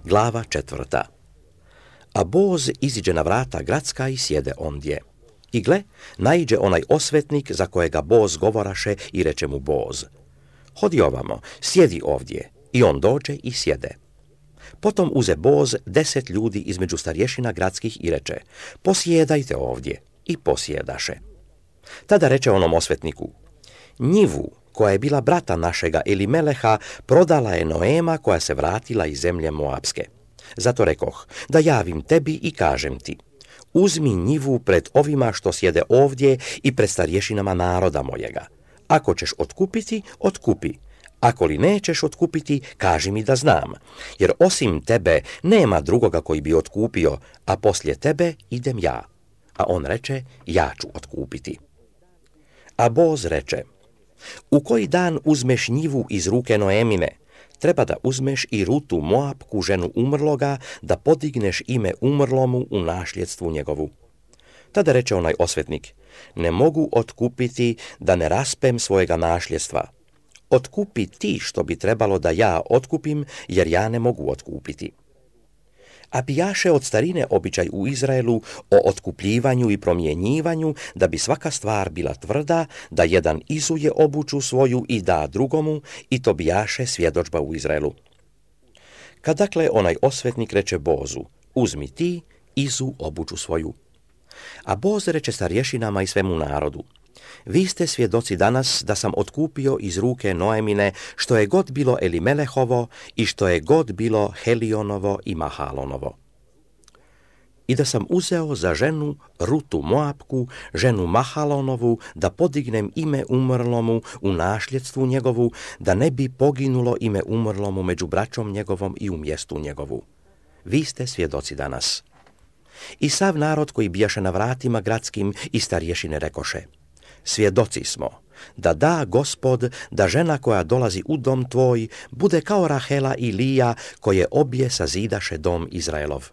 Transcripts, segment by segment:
Glava 4. A Boz iziđe na vrata gradska i sjede ondje. I gle, naiđe onaj osvetnik za kojega Boz govoraše i reče mu Boz: hodi ovamo, sjedi ovdje. I on dođe i sjede. Potom uze Boz 10 ljudi između starješina gradskih i reče: posjedajte ovdje. I posjedaše. Tada reče onom osvetniku: njivu koja je bila brata našega Elimeleha prodala je Noema koja se vratila iz zemlje Moabske. Zato rekoh da javim tebi i kažem ti: uzmi njivu pred ovima što sjede ovdje i pred starješinama naroda mojega. Ako ćeš otkupiti, otkupi. Ako li nećeš otkupiti, kaži mi da znam, jer osim tebe nema drugoga koji bi otkupio, a poslije tebe idem ja. A on reče: ja ću otkupiti. A Boz reče: u koji dan uzmeš njivu iz ruke Noemine, treba da uzmeš i Rutu Moapku, ženu umrloga, da podigneš ime umrlomu u nasljedstvu njegovu. Tada reče onaj osvetnik: ne mogu otkupiti da ne raspem svojega nasljedstva. Otkupi ti što bi trebalo da ja otkupim, jer ja ne mogu otkupiti. A bijaše od starine običaj u Izraelu o otkupljivanju i promjenjivanju, da bi svaka stvar bila tvrda, da jedan izuje obuću svoju i da drugomu, i to bijaše svjedodžba u Izraelu. Kad dakle onaj osvetnik reče Bozu: uzmi ti, izu obuću svoju. A Boz reče starješinama i svemu narodu: vi ste svjedoci danas da sam otkupio iz ruke Noemine što je god bilo Elimelehovo i što je god bilo Helionovo i Mahalonovo. I da sam uzeo za ženu Rutu Moapku, ženu Mahalonovu, da podignem ime umrlomu u nasljedstvu njegovu, da ne bi poginulo ime umrlomu među braćom njegovom i u mjestu njegovu. Vi ste svjedoci danas. I sav narod koji bijaše na vratima gradskim i starješine rekoše: svjedoci smo da da Gospod da žena koja dolazi u dom tvoj bude kao Rahela i Lija koje obje sazidaše dom Izraelov.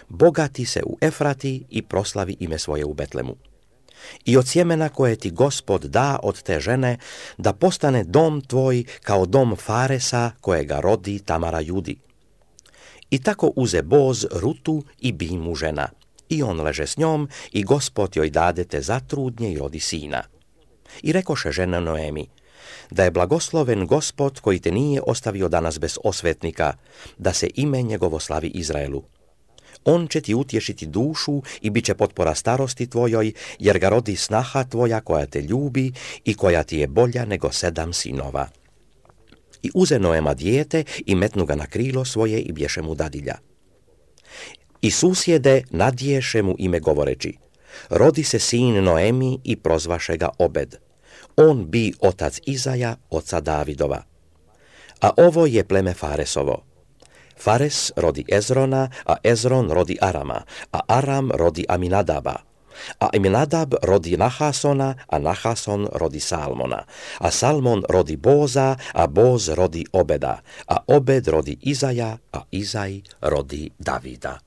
Bogati se u Efrati i proslavi ime svoje u Betlemu. I od sjemena koje ti Gospod da od te žene, da postane dom tvoj kao dom Faresa kojega rodi Tamara Judi. I tako uze Boz Rutu i bi mu žena. I on leže s njom i Gospod joj dade te zatrudnje i rodi sina. I rekoše žena Noemi: da je blagosloven Gospod koji te nije ostavio danas bez osvetnika, da se ime njegovo slavi Izraelu. On će ti utješiti dušu i bit će potpora starosti tvojoj, jer ga rodi snaha tvoja koja te ljubi i koja ti je bolja nego 7 sinova. I uze Noema dijete i metnu ga na krilo svoje i bješe mu dadilja. I susjede nadješe mu ime govoreći: rodi se sin Noemi i prozvaše ga Obed. On bi otac Izaja, oca Davidova. A ovo je pleme Faresovo. Fares rodi Ezrona, a Ezron rodi Arama, a Aram rodi Aminadaba. A Aminadab rodi Nahasona, a Nahason rodi Salmona. A Salmon rodi Boza, a Boz rodi Obeda. A Obed rodi Izaja, a Izaj rodi Davida.